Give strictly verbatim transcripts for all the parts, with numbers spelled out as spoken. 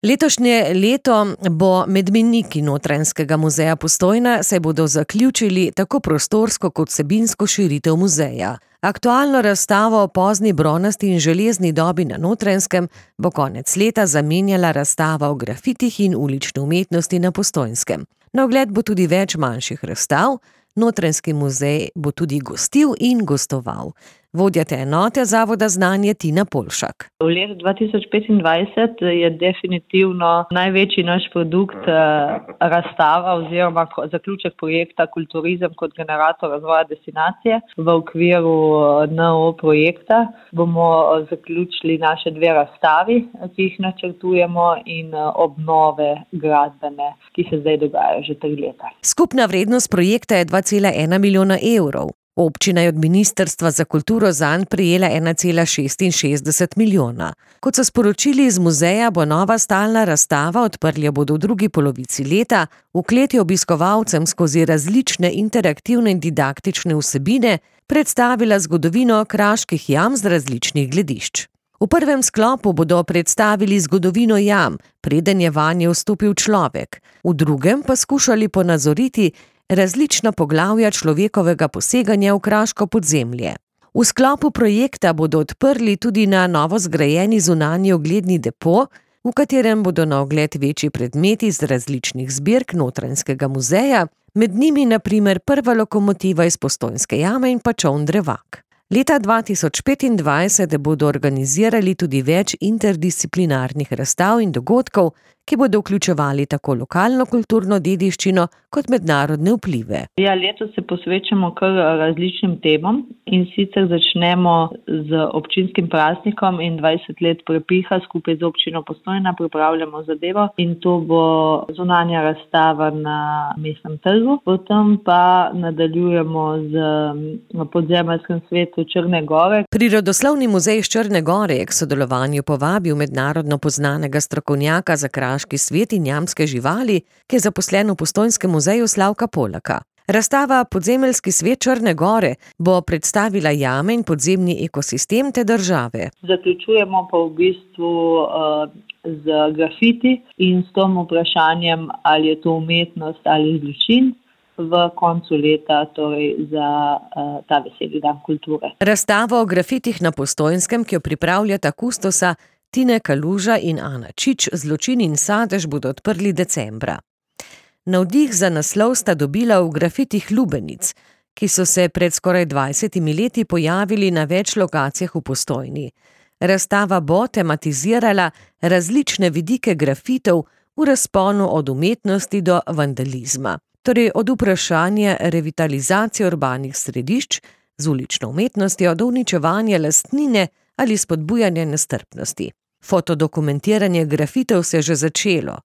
Letošnje leto bo med mejniki Notranjskega muzeja Postojna, saj bodo zaključili tako prostorsko kot vsebinsko širitev muzeja. Aktualno razstavo o pozni bronasti in železni dobi na Notranjskem bo konec leta zamenjala razstava o grafitih in ulični umetnosti na Postojnskem. Na ogled bo tudi več manjših razstav, Notranjski muzej bo tudi gostil in gostoval. Vodja te enote Zavoda Znanje Tina Polšak. V letu dva tisoč petindvajset je definitivno največji naš produkt razstava oziroma zaključek projekta Kulturizem kot generator razvoja destinacije. V okviru en o projekta bomo zaključili naše dve razstavi, ki jih načrtujemo, in obnove gradbene, ki se zdaj dogajajo že tri leta. Skupna vrednost projekta je dva cela ena milijona evrov. Občina je od Ministrstva za kulturo zanj prejela ena cela šestinšestdeset milijona. Kot so sporočili iz muzeja, bo nova stalna razstava, odprli jo bodo v drugi polovici leta, v kleti obiskovalcem skozi različne interaktivne in didaktične vsebine predstavila zgodovino kraških jam z različnih gledišč. V prvem sklopu bodo predstavili zgodovino jam, preden je vanje vstopil človek, v drugem pa skušali ponazoriti različna poglavja človekovega poseganja v kraško podzemlje. V sklopu projekta bodo odprli tudi na novo zgrajeni zunanji ogledni depo, v katerem bodo na ogled večji predmeti iz različnih zbirk Notranjskega muzeja, med njimi na primer prva lokomotiva iz Postojnske jame in pa čoln Drevak. Leta dva tisoč petindvajset bodo organizirali tudi več interdisciplinarnih razstav in dogodkov, ki bodo vključevali tako lokalno kulturno dediščino kot mednarodne vplive. Ja, letos se posvečamo kar različnim temam, in sicer začnemo z občinskim praznikom in dvajset let prepiha skupaj z občino Postojna pripravljamo zadevo, in to bo zunanja razstava na Mestnem trgu. Potem pa nadaljujemo z podzemeljskim svetu Črne gore. Prirodoslovni muzej iz Črne gore je k sodelovanju povabil mednarodno poznanega strokovnjaka za kraški svet in jamske živali, ki je zaposlen v Postojnskem muzeju Slavka Polaka. Razstava Podzemeljski svet Črne gore bo predstavila jame in podzemni ekosistem te države. Zaključujemo pa v bistvu uh, z grafiti in s tem vprašanjem, ali je to umetnost ali zločin, v koncu leta, torej za uh, ta veseli dan kulture. Razstavo o grafitih na Postojnskem, ki jo pripravljata kustosa Tine Kaluža in Ana Čič, Zločin in sadež, bodo odprli decembra. Navdih za naslov sta dobila v grafitih Lubenic, ki so se pred skoraj dvajsetimi leti pojavili na več lokacijah v Postojni. Razstava bo tematizirala različne vidike grafitov v razponu od umetnosti do vandalizma. Torej od vprašanja revitalizacije urbanih središč z ulično umetnostjo do uničevanja lastnine ali spodbujanja nestrpnosti. Fotodokumentiranje grafitov se je že začelo.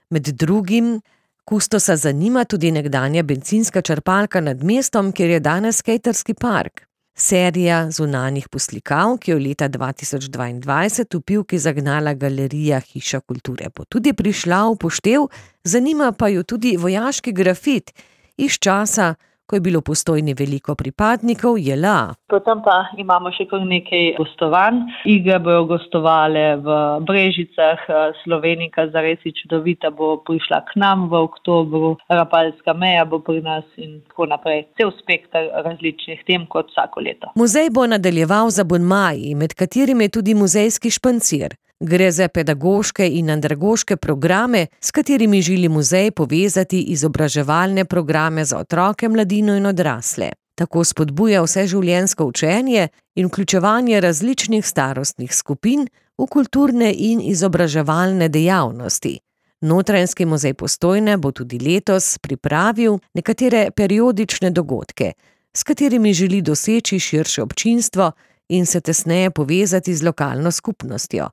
Med drugim kustosa zanima tudi nekdanja bencinska črpalka nad mestom, kjer je danes skejterski park. Serija zunanjih poslikav, ki je leta dva tisoč dvaindvajset v Pivki zagnala galerija Hiša kulture, bo tudi prišla v poštev, zanima pa jo tudi vojaški grafit iz časa, ko je bilo v Postojni veliko pripadnikov J L A. Potem pa imamo še kar nekaj gostovanj. Igre bojo gostovale v Brežicah, Slovenika Zaresi čudovita bo prišla k nam v oktobru, Rapalska meja bo pri nas in tako naprej. Cel spekter različnih tem kot vsako leto. Muzej bo nadaljeval z abonmaji, med katerimi je tudi muzejski špancir. Gre za pedagoške in andragoške programe, s katerimi želi muzej povezati izobraževalne programe za otroke, mladino in odrasle. Tako spodbuja vseživljenjsko učenje in vključevanje različnih starostnih skupin v kulturne in izobraževalne dejavnosti. Notranjski muzej Postojne bo tudi letos pripravil nekatere periodične dogodke, s katerimi želi doseči širše občinstvo in se tesneje povezati z lokalno skupnostjo.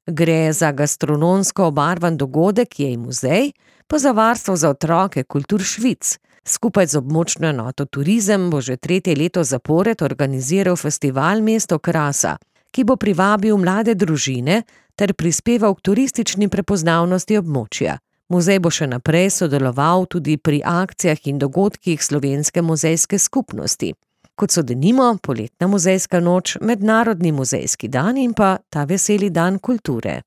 Gre za gastronomsko obarvan dogodek Jej muzej, pa za varstvo za otroke Kultur Švic. Skupaj z območno enoto Turizem bo že tretje leto zapored organiziral festival Mesto krasa, ki bo privabil mlade družine ter prispeval k turistični prepoznavnosti območja. Muzej bo še naprej sodeloval tudi pri akcijah in dogodkih slovenske muzejske skupnosti, kot so denimo poletna muzejska noč, mednarodni muzejski dan in pa ta veseli dan kulture.